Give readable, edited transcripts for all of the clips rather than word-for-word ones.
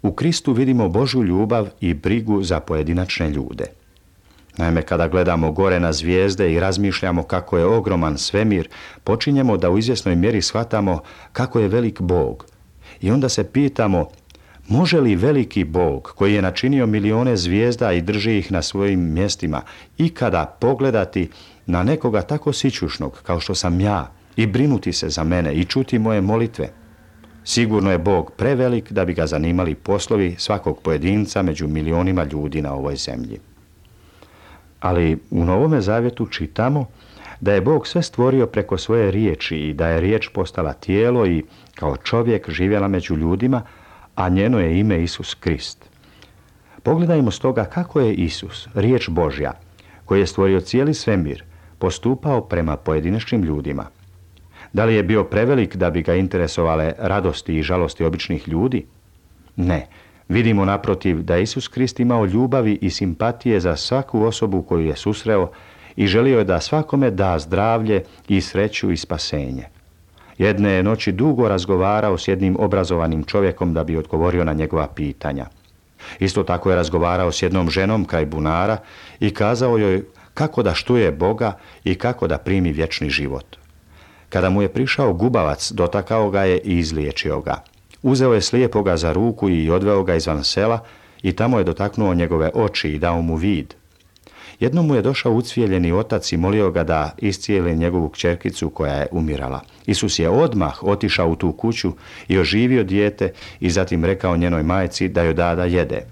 U Kristu vidimo Božju ljubav i brigu za pojedinačne ljude. Naime, kada gledamo gore na zvijezde i razmišljamo kako je ogroman svemir, počinjemo da u izvjesnoj mjeri shvatamo kako je velik Bog. I onda se pitamo, može li veliki Bog, koji je načinio milione zvijezda i drži ih na svojim mjestima, ikada pogledati na nekoga tako sićušnog kao što sam ja i brinuti se za mene i čuti moje molitve? Sigurno je Bog prevelik da bi ga zanimali poslovi svakog pojedinca među milionima ljudi na ovoj zemlji. Ali u Novome Zavjetu čitamo da je Bog sve stvorio preko svoje riječi i da je riječ postala tijelo i kao čovjek živjela među ljudima, a njeno je ime Isus Krist. Pogledajmo stoga kako je Isus, riječ Božja, koji je stvorio cijeli svemir, postupao prema pojedinačnim ljudima. Da li je bio prevelik da bi ga interesovale radosti i žalosti običnih ljudi? Ne. Vidimo naprotiv da je Isus Krist imao ljubavi i simpatije za svaku osobu koju je susreo i želio je da svakome da zdravlje i sreću i spasenje. Jedne je noći dugo razgovarao s jednim obrazovanim čovjekom da bi odgovorio na njegova pitanja. Isto tako je razgovarao s jednom ženom kraj bunara i kazao joj kako da štuje Boga i kako da primi vječni život. Kada mu je prišao gubavac, dotakao ga je i izliječio ga. Uzeo je slijepoga za ruku i odveo ga izvan sela i tamo je dotaknuo njegove oči i dao mu vid. Jednom mu je došao ucvijeljeni otac i molio ga da iscijeli njegovu kćerkicu koja je umirala. Isus je odmah otišao u tu kuću i oživio dijete i zatim rekao njenoj majci da joj da jede.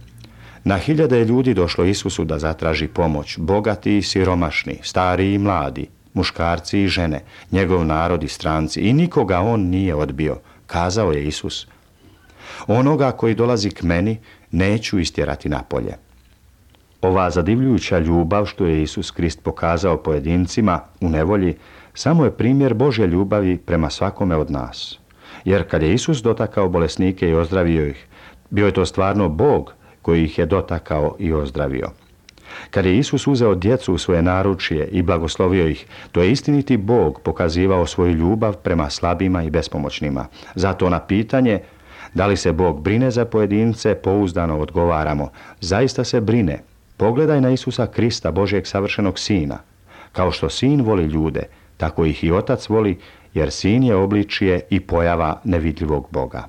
Na hiljade je ljudi došlo Isusu da zatraži pomoć, bogati i siromašni, stari i mladi, muškarci i žene, njegov narod i stranci, i nikoga on nije odbio, kazao je Isus. Onoga koji dolazi k meni neću istjerati napolje. Ova zadivljujuća ljubav što je Isus Krist pokazao pojedincima u nevolji samo je primjer Božje ljubavi prema svakome od nas. Jer kad je Isus dotakao bolesnike i ozdravio ih, bio je to stvarno Bog koji ih je dotakao i ozdravio. Kad je Isus uzeo djecu u svoje naručje i blagoslovio ih, to je istiniti Bog pokazivao svoju ljubav prema slabima i bespomoćnima. Zato na pitanje da li se Bog brine za pojedince, pouzdano odgovaramo, zaista se brine. Pogledaj na Isusa Krista, Božjeg savršenog Sina. Kao što Sin voli ljude, tako ih i Otac voli, jer Sin je obličje i pojava nevidljivog Boga.